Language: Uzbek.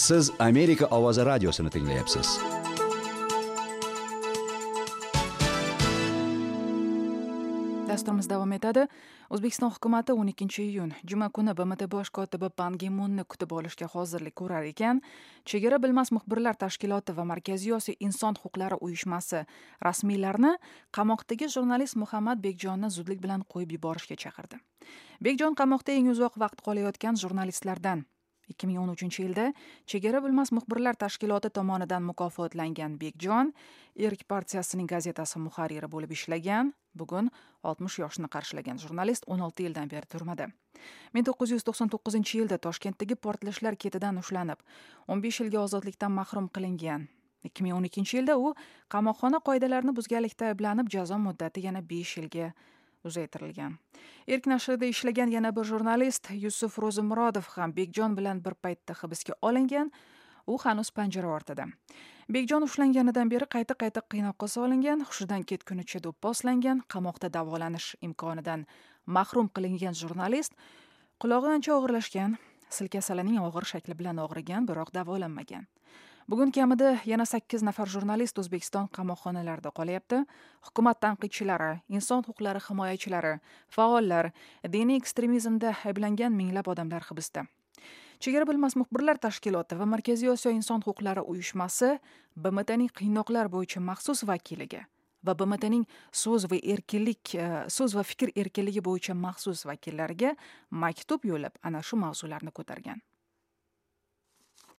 Siz Amerika ovozi radiosini tinglayapsiz. Dasturimiz davom etadi. O'zbekiston hukumati 12-iyun juma kuni BMT bosh kotibi Pan Gi Munni kutib olishga hozirlik ko'rar ekan, Chegara bilmas muxbirlar tashkiloti va Markaziy Osiyo inson huquqlari uyushmasi rasmiylarni qamoqdagi jurnalist Muhammad Bekjonni zudlik bilan qo'yib yuborishga chaqirdi. Bekjon qamoqda eng uzoq vaqt qolayotgan jurnalistlardan. 2013-yilda Chegara bilmas muxbirlar tashkiloti tomonidan mukofotlangan Bekjon Erk partiyasining gazetasi muharriri bo'lib ishlagan. Bugun 60 yoshni qarshilagan jurnalist 16 yildan beri turmada. 1999-yilda Toshkentdagi portlashlar ketidan ushlanib, 15 yilga ozodlikdan mahrum qilingan. 2012-yilda u qamoqxona qoidalarini buzganlikda ayblanib, jazo muddati yana 5 yilga uzaytirilgan. Erk nashrida ishlagan yana bir jurnalist Yusuf Ro'zimurodov ham Bekjon bilan bir paytda hibsga olingan. U hanuz panjara ortida. Bekjon ushlanganidan beri qayta-qayta qiynoqqa solingan, hushidan ketgunicha do'pposlangan, qamoqda davolanish imkonidan mahrum qilingan jurnalist qulog'i ancha og'irlashgan, sil kasalining og'ir shakli bilan og'rigan, biroq davolanmagan. Bugun kamida yana 8 nafar jurnalist O'zbekiston qamoqxonalarida qolyapti. Hukumat tanqidchilari, inson huquqlari himoyachilari, faollar, diniy ekstremizmda ayblangan minglab odamlar hibsda. Chegara bilmas muxbirlar tashkiloti va Markaziy Osiyo inson huquqlari uyushmasi BMTning qiynoqlar bo'yicha maxsus vakiliga va BMTning so'z va erkinlik, so'z va fikr erkinligi bo'yicha maxsus vakillariga maktub yo'llab ana shu mavzularni ko'targan.